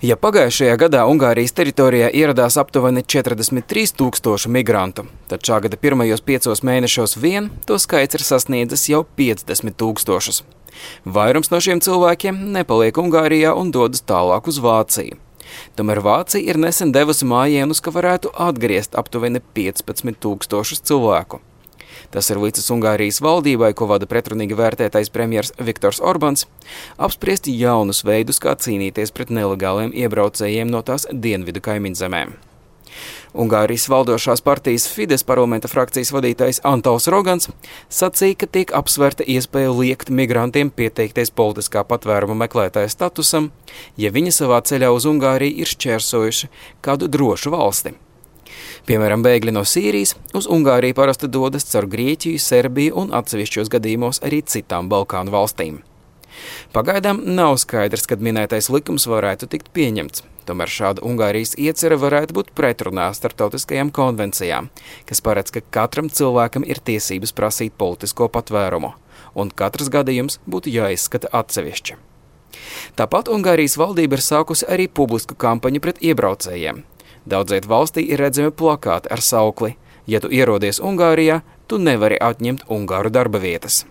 Ja pagājušajā gadā Ungārijas teritorijā ieradās aptuveni 43 000 migrantu, tad šā gada pirmajos 5 mēnešos vien to skaits ir sasniedzis jau 50 000. Vairums no šiem cilvēkiem nepaliek Ungārijā un dodas tālāk uz Vāciju. Tomēr Vācija ir nesen devusi mājienus, ka varētu atgriezt aptuveni 15 000 cilvēku. Tas ir līdzis Ungārijas valdībai, ko vada pretrunīgi vērtētais premjers Viktors Orbāns, apspriest jaunus veidus, kā cīnīties pret nelegāliem iebraucējiem no tās dienvidu kaimiņzemēm. Ungārijas valdošās partijas Fides parlamenta frakcijas vadītājs Antols Rogans sacīja, ka tiek apsvērta iespēja liekt migrantiem pieteikties politiskā patvēruma meklētāja statusam, ja viņi savā ceļā uz Ungāriju ir šķērsojuši kādu drošu valsti. Piemēram, bēgļi no Sīrijas uz Ungāriju parasti dodas caur Grieķiju, Serbiju un atsevišķos gadījumos arī citām Balkānu valstīm. Pagaidām nav skaidrs, kad minētais likums varētu tikt pieņemts. Tomēr šāda Ungārijas iecerē varētu būt pretrunā starptautiskajām konvencijām, kas paredz, ka katram cilvēkam ir tiesības prasīt politisko patvērumu, un katrs gadījums būtu jāizskata atsevišķi. Tāpat Ungārijas valdība ir sākusi arī publisku kampaņu pret iebraucējiem. Daudziet valstī ir redzami plakāti ar saukli: ja tu ierodies Ungārijā, tu nevari atņemt ungāru darba vietas.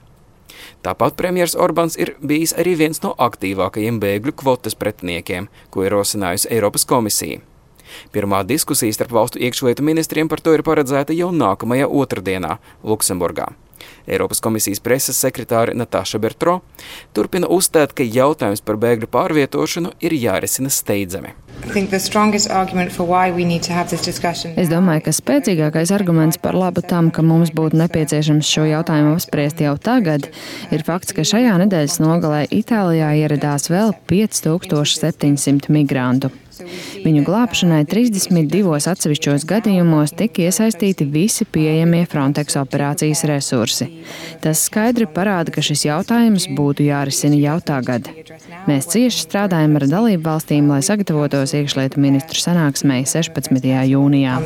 Tāpat premjers Orbāns ir bijis arī viens no aktīvākajiem bēgļu kvotas pretiniekiem, ko ir rosinājusi Eiropas komisija. Pirmā diskusija starp valstu iekšlietu ministriem par to ir paredzēta jau nākamajā otrdienā Luksemburgā. Eiropas komisijas preses sekretāre Natāša Bertro turpina uzstāt, ka jautājums par bēgļu pārvietošanu ir jārisina steidzami. Es domāju, ka spēcīgākais arguments par labu tam, ka mums būtu nepieciešams šo jautājumu apspriest jau tagad, ir fakts, ka šajā nedēļas nogalē Itālijā ieradās vēl 5700 migrantu. Viņu glābšanai 32 atsevišķos gadījumos tika iesaistīti visi pieejamie Frontex operācijas resursi. Tas skaidri parāda, ka šis jautājums būtu jārisina jau tagad. Mēs cieši strādājam ar dalību valstīm, lai sagatavotos iekšlietu ministru sanāksmei 16. jūnijā.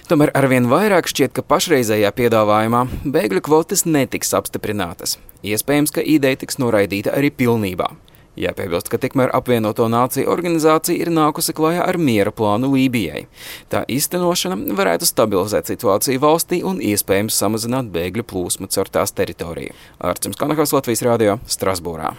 Tomēr arvien vairāk šķiet, ka pašreizējā piedāvājumā bēgļu kvotas netiks apstiprinātas. Iespējams, ka ideja tiks noraidīta arī pilnībā. Jāpiebilst, ka tikmēr apvienoto nāciju organizācija ir nākusi klajā ar miera plānu Lībijai. Tā īstenošana varētu stabilizēt situāciju valstī un iespējams samazināt bēgļu plūsmu caur tās teritoriju. Ārcims Kanahos, Latvijas radio, Strasbūrā.